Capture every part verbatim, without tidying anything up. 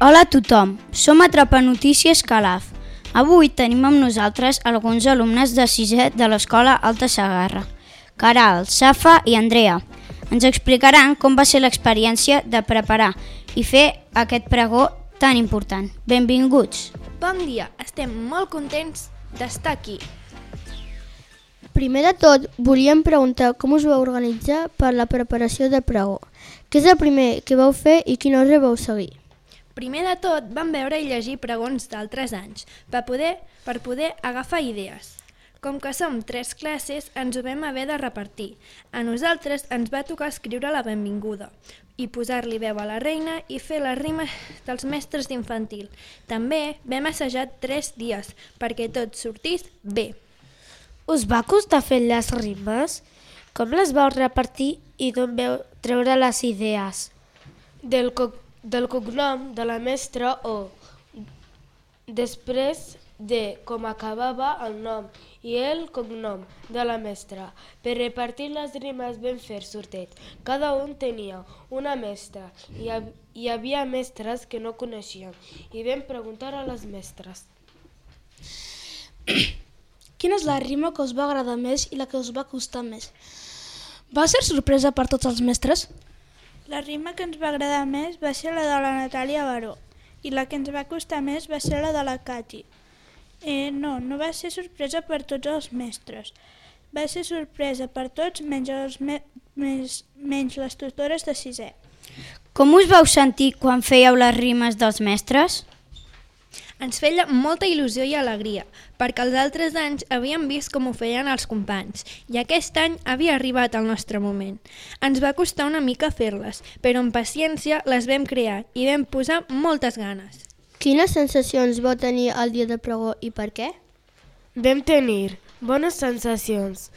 Hola a tothom, som Atrapa Notícies Calaf. Avui tenim amb nosaltres alguns alumnes de sisè de l'Escola Alta Segarra, Caral, Safa i Andrea. Ens explicaran com va ser l'experiència de preparar i fer aquest pregó tan important. Benvinguts! Bon dia, estem molt contents d'estar aquí. Primer de tot, volíem preguntar com us vau organitzar per la preparació del pregó. Què és el primer que vau fer i quin ordre vau seguir? Primer de tot, vam veure i llegir pregons d'altres anys per poder, per poder agafar idees. Com que som tres classes, ens ho vam haver de repartir. A nosaltres ens va tocar escriure la benvinguda i posar-li veu a la reina i fer les rimes dels mestres d'infantil. També vam assajar tres dies perquè tot sortís bé. Us va costar fer les rimes? Com les vau repartir i d'on vau treure les idees? Del, co del cognom de la mestra o després de com acabava el nom i el cognom de la mestra. Per repartir les rimes vam fer sorteig. Cada un tenia una mestra i hi havia mestres que no coneixíem i vam preguntar a les mestres. Quina és la rima que us va agradar més i la que us va costar més? Va ser sorpresa per tots els mestres? La rima que ens va agradar més va ser la de la Natàlia Baró i la que ens va costar més va ser la de la Cati. Eh, no, no va ser sorpresa per tots els mestres. Va ser sorpresa per tots menys, els me menys, menys les tutores de sisè. Com us vau sentir quan fèieu les rimes dels mestres? Ens feia molta il·lusió i alegria, perquè els altres anys havíem vist com ho feien els companys, i aquest any havia arribat el nostre moment. Ens va costar una mica fer-les, però amb paciència les vam crear i vam posar moltes ganes. Quines sensacions vau tenir el dia de pregó i per què? Vam tenir bones sensacions,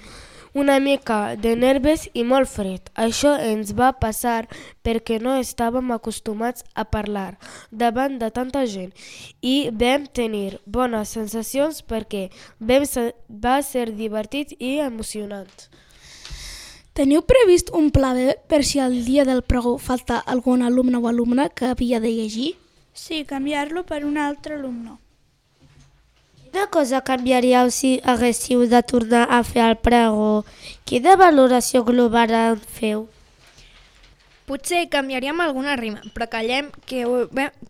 una mica de nervis i molt fred. Això ens va passar perquè no estàvem acostumats a parlar davant de tanta gent i vam tenir bones sensacions perquè vam ser, va ser divertit i emocionant. Teniu previst un pla B per si al dia del pregó falta algun alumne o alumna que havia de llegir? Sí, canviar-lo per un altre alumne. Quina cosa canviaríeu si haguéssiu de tornar a fer el pregó? Quina valoració global en feu? Potser canviaríem alguna rima, però callem que,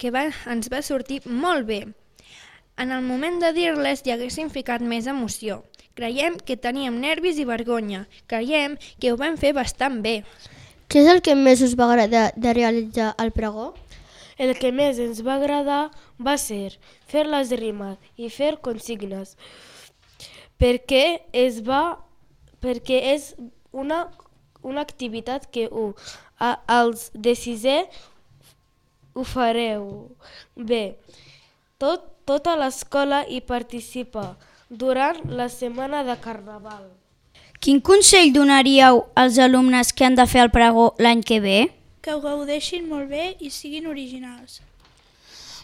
que va, ens va sortir molt bé. En el moment de dir-les hi haguéssim ficat més emoció. Creiem que teníem nervis i vergonya. Creiem que ho vam fer bastant bé. Què és el que més us va agradar de realitzar el pregó? El que més ens va agradar va ser fer les rimes i fer consignes, perquè, es va, perquè és una, una activitat que ho, a, els de sisè ho fareu bé. Tot, tota l'escola hi participa durant la setmana de Carnaval. Quin consell donaríeu als alumnes que han de fer el pregó l'any que ve? Que ho gaudeixin molt bé i siguin originals.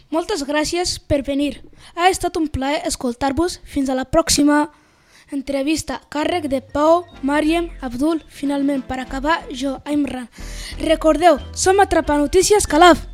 Moltes gràcies per venir. Ha estat un plaer escoltar-vos. Fins a la pròxima entrevista. Càrrec de Pau, Màriem, Abdul. Finalment, per acabar, jo, Imran. Recordeu, som Atrapa Notícies Calaf.